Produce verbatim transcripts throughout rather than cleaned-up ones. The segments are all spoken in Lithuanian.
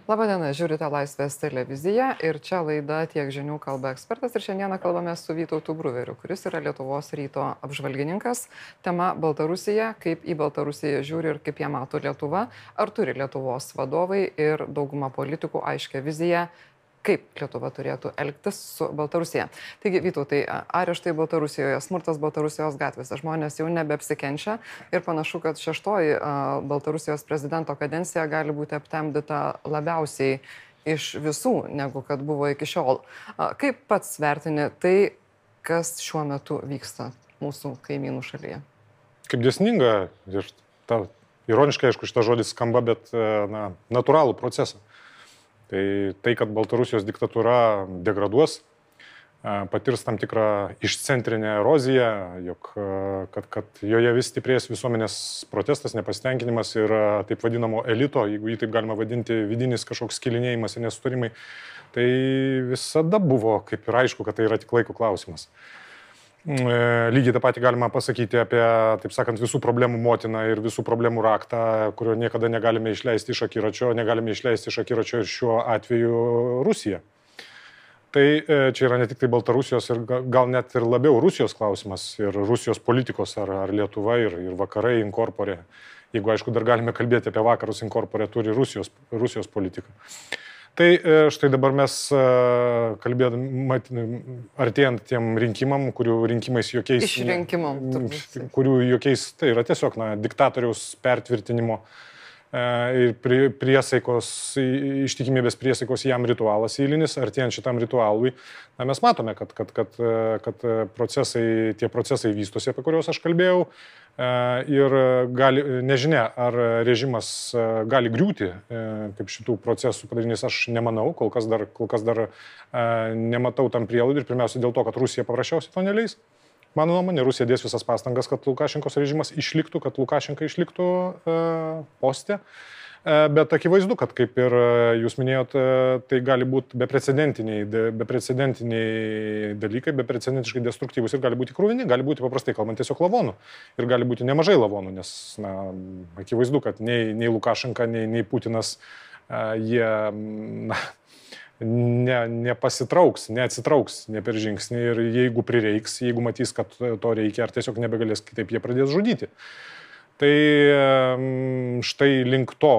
Labadiena, žiūrite Laisvės televiziją ir čia laida Tiek žinių kalba ekspertas ir šiandieną kalbame su Vytautu Bruveriu, kuris yra Lietuvos ryto apžvalgininkas. Tema Baltarusija, kaip į Baltarusiją žiūri ir kaip ją mato Lietuva, ar turi Lietuvos vadovai ir dauguma politikų aiškę viziją, kaip Lietuva turėtų elgtis su Baltarusija. Taigi, Vytautai, areštai Baltarusijoje, smurtas Baltarusijos gatvėse, žmonės jau nebeapsikenčia ir panašu, kad šeštoji Baltarusijos prezidento kadencija gali būti aptemdyta labiausiai iš visų, negu kad buvo iki šiol. Kaip pats vertini tai, kas šiuo metu vyksta mūsų kaimynų šalyje? Kaip dėsninga ir ta, ironiškai, aišku, šitas žodis skamba, bet na, natūralų procesą. Tai, tai, kad Baltarusijos diktatūra degraduos, patirs tam tikrą išcentrinę eroziją, jog, kad, kad joje vis stiprės visuomenės protestas, nepasitenkinimas ir taip vadinamo elito, jeigu jį taip galima vadinti, vidinis kažkoks skilinėjimas ir nesutarimai, tai visada buvo kaip ir aišku, kad tai yra tik laiko klausimas. Lygiai tą patį galima pasakyti apie, taip sakant, visų problemų motiną ir visų problemų raktą, kurio niekada negalime išleisti iš akiračio, negalime išleisti iš akiračio ir šiuo atveju Rusiją. Tai čia yra ne tik tai Baltarusijos ir gal net ir labiau Rusijos klausimas ir Rusijos politikos ar, ar Lietuva ir, ir vakarai inkorporė. Jeigu, aišku, dar galime kalbėti apie vakarus inkorporė, turi Rusijos, Rusijos politiką. Tai štai dabar mes kalbėdami, artėjant tiem rinkimam, kurių rinkimais jokiais... Išrinkimam. Kurių jokiais, tai yra tiesiog na, diktatoriaus pertvirtinimo ir priesaikos, ištikimybės priesaikos jam ritualas eilinis, artėjant šitam ritualui. Na, mes matome, kad, kad, kad, kad procesai, tie procesai vystosi, apie kuriuos aš kalbėjau. Ir gali, nežinia, ar režimas gali griūti kaip šitų procesų padarinys, aš nemanau, kol kas dar, kol kas dar nematau tam prielaidų ir pirmiausia dėl to, kad Rusija paprasčiausiai to neleis. Mano nuomonė, Rusija dės visas pastangas, kad Lukašenkos režimas išliktų, kad Lukašenka išliktų poste. Bet akivaizdu, kad kaip ir jūs minėjot, tai gali būti beprecedentiniai, beprecedentiniai dalykai, beprecedentiškai destruktyvus ir gali būti krūvini, gali būti paprastai kalbant tiesiog lavonų. Ir gali būti nemažai lavonų, nes na, akivaizdu, kad nei, nei Lukašenka, nei, nei Putinas jie na, ne, nepasitrauks, neatsitrauks, ne per žingsnį ir jeigu prireiks, jeigu matys, kad to reikia, ar tiesiog nebegalės kitaip, jie pradės žudyti. Tai štai link to,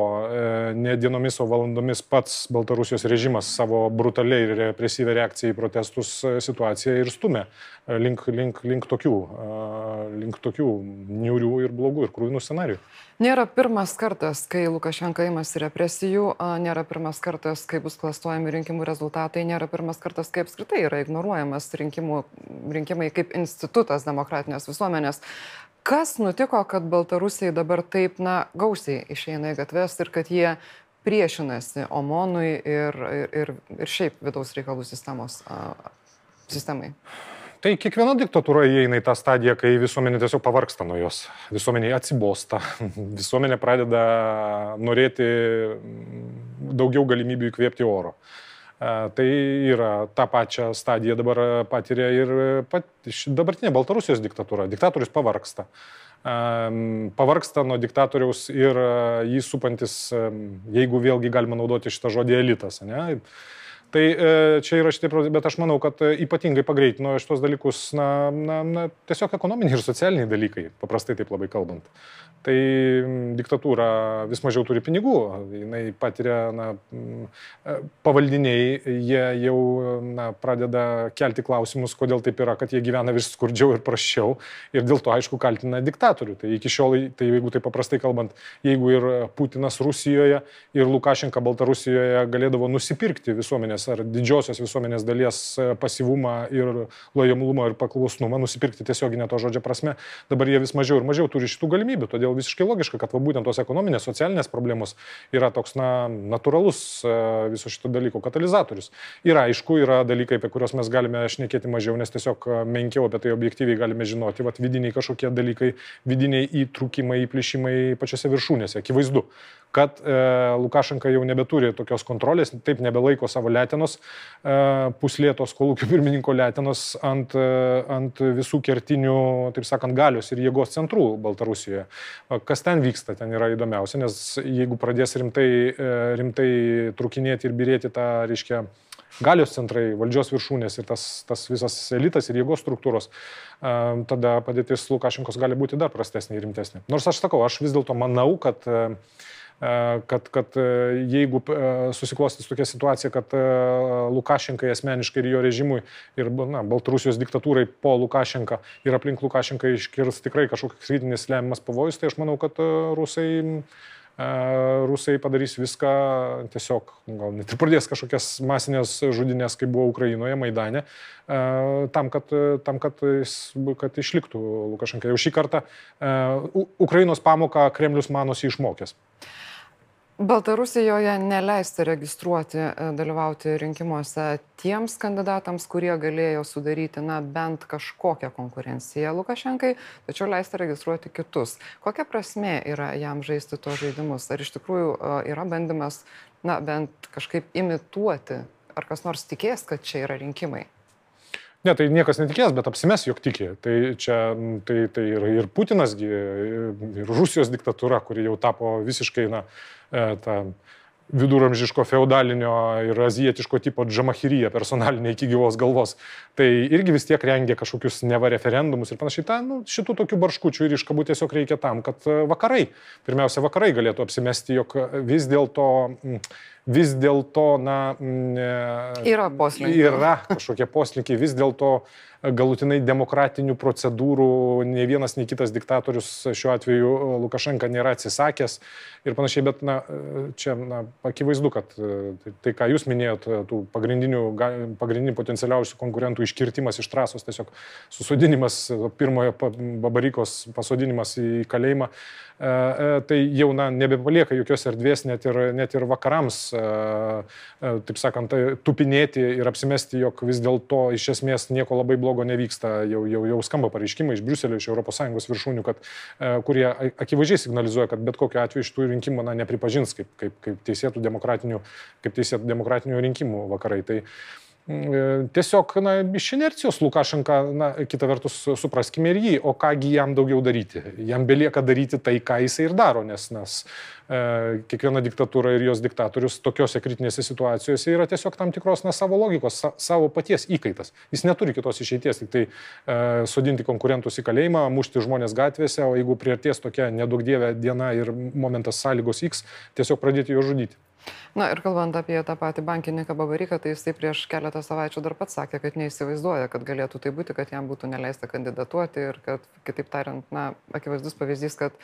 ne dienomis, o valandomis pats Baltarusijos režimas savo brutaliai ir represyvę reakciją į protestus situaciją ir stumia link, link, link, tokių, link tokių niūrių ir blogų ir krūvinų scenarijų. Nėra pirmas kartas, kai Lukašenka imasi represijų, nėra pirmas kartas, kai bus klastojami rinkimų rezultatai, nėra pirmas kartas, kai apskritai yra ignoruojamas rinkimų, rinkimai kaip institutas demokratinės visuomenės. Kas nutiko, kad Baltarusijai dabar taip na, gausiai išeina į gatves ir kad jie priešinasi OMONui ir, ir, ir šiaip vidaus reikalų sistemos, sistemai? Tai kiekviena diktatūra įeina į tą stadiją, kai visuomenė tiesiog pavargsta nuo jos. Visuomenė atsibosta. Visuomenė pradeda norėti daugiau galimybių įkvėpti oro. Tai yra tą pačią stadiją dabar patiria ir pat, dabartinė Baltarusijos diktatūra. Diktatorius pavargsta. Pavargsta nuo diktatoriaus ir jį supantis, jeigu vėlgi galima naudoti šitą žodį, elitas. Ne? Tai čia yra šitie, bet aš manau, kad ypatingai pagreitino šitos dalykus na, na, na, tiesiog ekonominiai ir socialiniai dalykai, paprastai taip labai kalbant. Tai diktatūra vis mažiau turi pinigų, jinai patiria na, pavaldiniai, jie jau na, pradeda kelti klausimus, kodėl taip yra, kad jie gyvena vis skurdžiau ir prasčiau ir dėl to, aišku, kaltina diktatorių. Tai iki šiol, tai jeigu taip paprastai kalbant, jeigu ir Putinas Rusijoje ir Lukašenka Baltarusijoje galėdavo nusipirkti visuomenės ar didžiosios visuomenės dalies pasyvumą ir lojalumą ir paklusnumą, nusipirkti tiesioginę to žodžio prasme, dabar jie vis mažiau ir mažiau turi šitų galimybių. Todėl visiškai logiška, kad va, būtent tos ekonominės, socialinės problemos yra toks na, natūralus viso šito dalyko katalizatorius. Ir aišku, yra dalykai, apie kuriuos mes galime šnekėti mažiau, nes tiesiog menkiau apie tai objektyviai galime žinoti. Vat vidiniai kažkokie dalykai, vidiniai įtrūkimai, įplyšimai pačiose viršūnėse. Akivaizdu, kad e, Lukašenka jau nebeturi tokios kontrolės, taip nebelaiko savo letinos, e, puslėtos kolūkio pirmininko letinos ant, e, ant visų kertinių, taip sakant, galios ir jėgos centrų Baltarusijoje. Kas ten vyksta, ten yra įdomiausia, nes jeigu pradės rimtai, e, rimtai trukinėti ir birėti tą, reiškia, galios centrai, valdžios viršūnės ir tas, tas visas elitas ir jėgos struktūros, tada padėtis Lukašenkos gali būti dar prastesnė ir rimtesnė. Nors aš sakau, aš vis dėlto manau, kad, kad, kad jeigu susiklostys tokia situacija, kad Lukašenkai asmeniškai ir jo režimui ir na, Baltarusijos diktatūrai po Lukašenką ir aplink Lukašenką iškirs tikrai kažkoks kritinis lemiamas pavojus, tai aš manau, kad rusai Rusai padarys viską, tiesiog, gal net ir pradės kažkokias masinės žudynės, kaip buvo Ukrainoje, Maidane, tam, kad, tam, kad, kad išliktų Lukašenka. Jau šį kartą Ukrainos pamoką Kremlius manosi išmokęs. Baltarusijoje neleista registruoti, dalyvauti rinkimuose tiems kandidatams, kurie galėjo sudaryti na, bent kažkokią konkurenciją Lukašenkai, tačiau leista registruoti kitus. Kokia prasmė yra jam žaisti tos žaidimus? Ar iš tikrųjų yra bandymas na, bent kažkaip imituoti? Ar kas nors tikės, kad čia yra rinkimai? Ne, tai niekas netikės, bet apsimes, jog tikė. Tai čia tai, tai ir, ir Putinasgi, ir Rusijos diktatūra, kuri jau tapo visiškai na, ta viduramžiško feudalinio ir azijietiško tipo džamahirija personalinė iki gyvos galvos. Tai irgi vis tiek rengia kažkokius neva referendumus ir panašiai. Ta, nu, šitų tokių barškučių ir iškabų tiesiog reikia tam, kad vakarai, pirmiausia, vakarai galėtų apsimesti, jog vis dėlto vis dėlto, na, yra poslinkiai. Yra kažkokie poslinkiai, vis dėlto galutinai demokratinių procedūrų nei vienas, nei kitas diktatorius, šiuo atveju Lukašenka, nėra atsisakęs ir panašiai, bet na, čia na, akivaizdu, kad tai, tai, ką jūs minėjot, tų pagrindinių, pagrindinių potencialiausių konkurentų iškirtimas iš trasos, tiesiog susodinimas, pirmojo Babarykos pasodinimas į kalėjimą, tai jau na, nebepalieka jokios erdvės net ir, net ir vakarams, taip sakant, tupinėti ir apsimesti, jog vis dėlto iš esmės nieko labai blogo nevyksta. Jau, jau, jau skamba pareiškimai iš Briuselio, iš Europos Sąjungos viršūnių, kad, kurie akivaizdžiai signalizuoja, kad bet kokiu atveju šitų rinkimų na, nepripažins kaip, kaip, kaip teisėtų demokratinių, kaip teisėtų demokratinių rinkimų vakarai. Tai tiesiog na, iš inercijos Lukašenka, na, kita vertus, supraskime ir jį, o kągi jam daugiau daryti. Jam belieka daryti tai, ką jisai ir daro, nes, nes e, kiekviena diktatūra ir jos diktatorius tokiose kritinėse situacijose yra tiesiog tam tikros na, savo logikos, sa, savo paties įkaitas. Jis neturi kitos išeities, tik tai e, sodinti konkurentus į kalėjimą, mušti žmonės gatvėse, o jeigu priartės tokia nedaug dievė diena ir momentas sąlygos X, tiesiog pradėti jo žudyti. Na ir kalbant apie tą patį bankininką Babaryką, tai jisai prieš keletą savaičių dar pats sakė, kad neįsivaizduoja, kad galėtų tai būti, kad jam būtų neleista kandidatuoti ir kad, kitaip tariant, na, akivaizdus pavyzdys, kad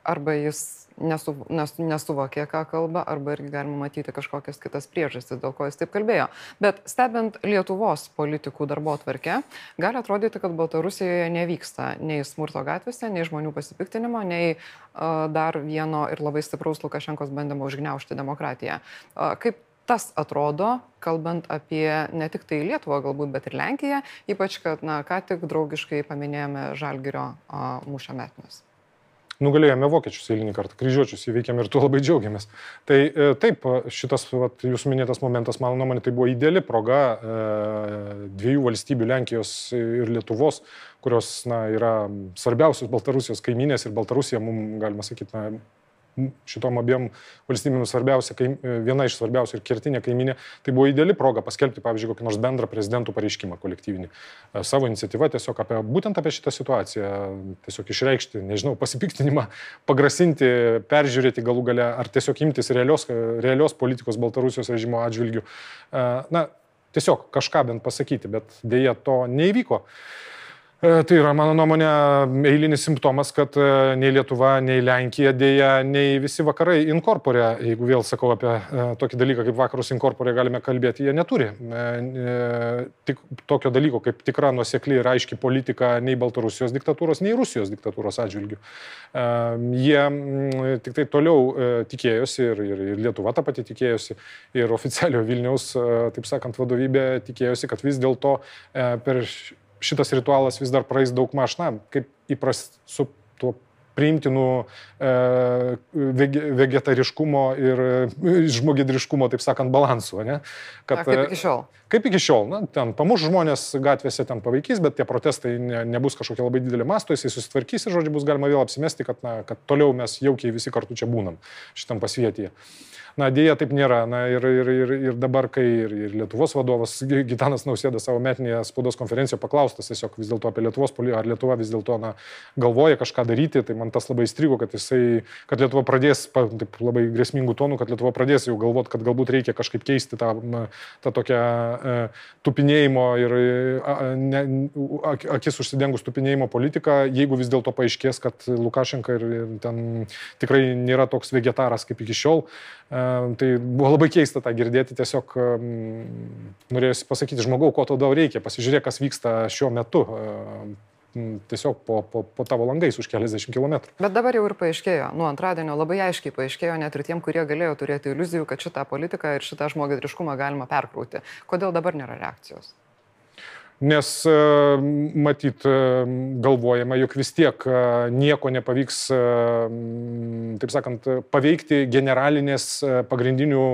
arba jis nesu, nes, nesuvokė, ką kalba, arba irgi galima matyti kažkokias kitas priežastis, dėl ko jis taip kalbėjo. Bet stebint Lietuvos politikų darbotvarkę, gali atrodyti, kad Baltarusijoje nevyksta nei smurto gatvėse, nei žmonių pasipiktinimo, nei uh, dar vieno ir labai stipraus Lukašenkos bandymo užgniaužti demokratiją. Uh, kaip tas atrodo, kalbant apie ne tik tai Lietuvą galbūt, bet ir Lenkiją, ypač, kad na, ką tik draugiškai paminėjome Žalgirio uh, mūšio metines. Nugalėjome vokiečius eilinį kartą, kryžiuočius įveikėme ir tuo labai džiaugiamės. Tai e, taip, šitas vat, jūsų minėtas momentas, mano nuomonė, tai buvo ideali proga e, dviejų valstybių, Lenkijos ir Lietuvos, kurios na, yra svarbiausios Baltarusijos kaimynės ir Baltarusija, mums galima sakyti, na, šitom abiem valstybėm svarbiausia, viena iš svarbiausių ir kertinė kaiminė, tai buvo ideali proga paskelbti, pavyzdžiui, kokį nors bendrą prezidentų pareiškimą kolektyvinį. Savo iniciatyvą tiesiog apie, būtent apie šitą situaciją, tiesiog išreikšti, nežinau, pasipiktinimą, pagrasinti, peržiūrėti galų gale, ar tiesiog imtis realios, realios politikos Baltarusijos režimo atžvilgių. Na, tiesiog kažką bent pasakyti, bet dėja to neįvyko. Tai yra, mano nuomonė, eilinis simptomas, kad nei Lietuva, nei Lenkija dėja, nei visi vakarai inkorporė, jeigu vėl sakau apie tokį dalyką, kaip vakarus inkorporė galime kalbėti, jie neturi. Tik tokio dalyko, kaip tikra nuosekli ir aiški politika nei Baltarusijos diktatūros, nei Rusijos diktatūros atžvilgių. Jie tik tai toliau tikėjosi ir, ir, ir Lietuva tą patį tikėjosi ir oficialio Vilniaus, taip sakant, vadovybė tikėjosi, kad vis dėlto per šitas ritualas vis dar praeis daug maž, na, kaip įpras su tuo priimtinų e, vegetariškumo ir žmogėdriškumo, taip sakant, balansų. Ne? Kad, A, kaip iki šiol. Kaip iki šiol. Na, ten pamuš žmonės gatvėse, ten pavaikys, bet tie protestai ne, nebus kažkokie labai didelį masto, jisai susitvarkys ir, žodžiu, bus galima vėl apsimesti, kad, na, kad toliau mes jaukiai visi kartu čia būnam šitam pasvietyje. Na, dėja taip nėra. Na, ir, ir, ir, ir dabar, kai ir, ir Lietuvos vadovas Gitanas Nausėda savo metinėje spaudos konferencijoje paklaustas tiesiog vis dėlto apie Lietuvos politiką, ar Lietuva vis dėlto na, galvoja kažką daryti, tai man tas labai įstrigo, kad, jisai, kad Lietuva pradės, taip, labai grėsmingų tonų, kad Lietuva pradės jau galvoti, kad galbūt reikia kažkaip keisti tą, tą tokią e, tupinėjimo ir a, ne, akis užsidengus tupinėjimo politiką, jeigu vis dėlto paaiškės, kad Lukašenka ir, ir ten tikrai nėra toks vegetaras kaip iki šiol. Tai buvo labai keista tą girdėti, tiesiog norėjusi pasakyti, žmogau, ko tau reikia, pasižiūrėk, kas vyksta šiuo metu, tiesiog po, po, po tavo langais už keliasdešimt kilometrų. Bet dabar jau ir paaiškėjo, nuo antradienio labai aiškiai paaiškėjo net ir tiem, kurie galėjo turėti iliuzijų, kad šitą politiką ir šitą žmogėdriškumą galima perkrauti. Kodėl dabar nėra reakcijos? Nes matyt galvojama, jog vis tiek nieko nepavyks, taip sakant, paveikti generalinės pagrindinių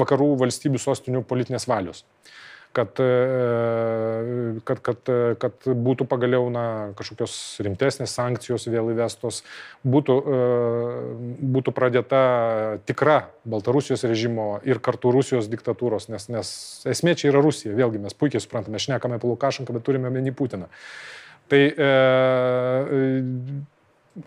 vakarų valstybių sostinių politinės valios. Kad, kad, kad, kad būtų pagaliau na, kažkokios rimtesnės sankcijos vėl įvestos, būtų, būtų pradėta tikra Baltarusijos režimo ir kartu Rusijos diktatūros, nes, nes esmė čia yra Rusija, vėlgi mes puikiai suprantame, šnekame apie Lukašenką, bet turime omeny Putiną. Tai e,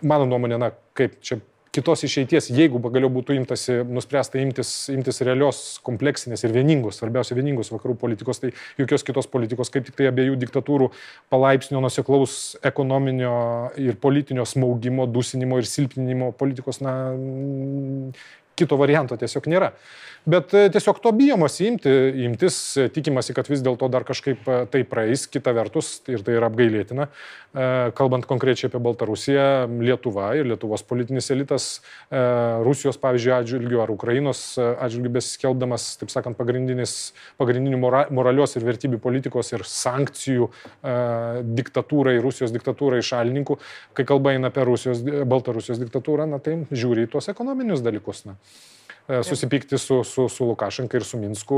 mano nuomonė, na, kaip čia kitos išeities, jeigu pagaliau būtų imtasi, nuspręsta imtis, imtis realios, kompleksinės ir vieningos, svarbiausia vieningos vakarų politikos, tai jokios kitos politikos, kaip tik tai abiejų diktatūrų palaipsnio nuoseklaus ekonominio ir politinio smaugimo, dusinimo ir silpninimo politikos, na, kito varianto tiesiog nėra. Bet tiesiog to bijomasi imti, imtis, tikimasi, kad vis dėlto dar kažkaip tai praeis, kita vertus, ir tai yra apgailėtina, kalbant konkrečiai apie Baltarusiją, Lietuva ir Lietuvos politinis elitas Rusijos, pavyzdžiui, atžvilgių ar Ukrainos atžvilgių besiskelbdamas, taip sakant, pagrindinių moralios ir vertybių politikos ir sankcijų diktatūrai, Rusijos diktatūrai šalininkų, kai kalba eina apie Rusijos, Baltarusijos diktatūrą, na tai žiūri į tuos ekonominius dalykus. Na. Susipykti su, su, su Lukašenka ir su Minsku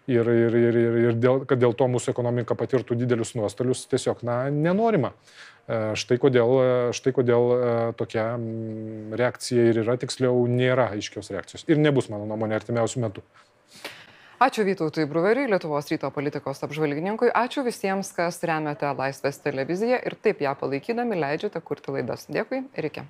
ir, ir, ir, ir dėl, kad dėl to mūsų ekonomika patirtų didelius nuostolius, tiesiog na, nenorima. Štai kodėl, štai kodėl tokia reakcija ir yra, tiksliau nėra aiškios reakcijos ir nebus, mano nuomonė, artimiausių metų. Ačiū Vytautui Bruveriui, Lietuvos ryto politikos apžvalgininkui. Ačiū visiems, kas remiate Laisvės televiziją ir taip ją palaikydami leidžiate kurti laidas. Dėkui ir iki.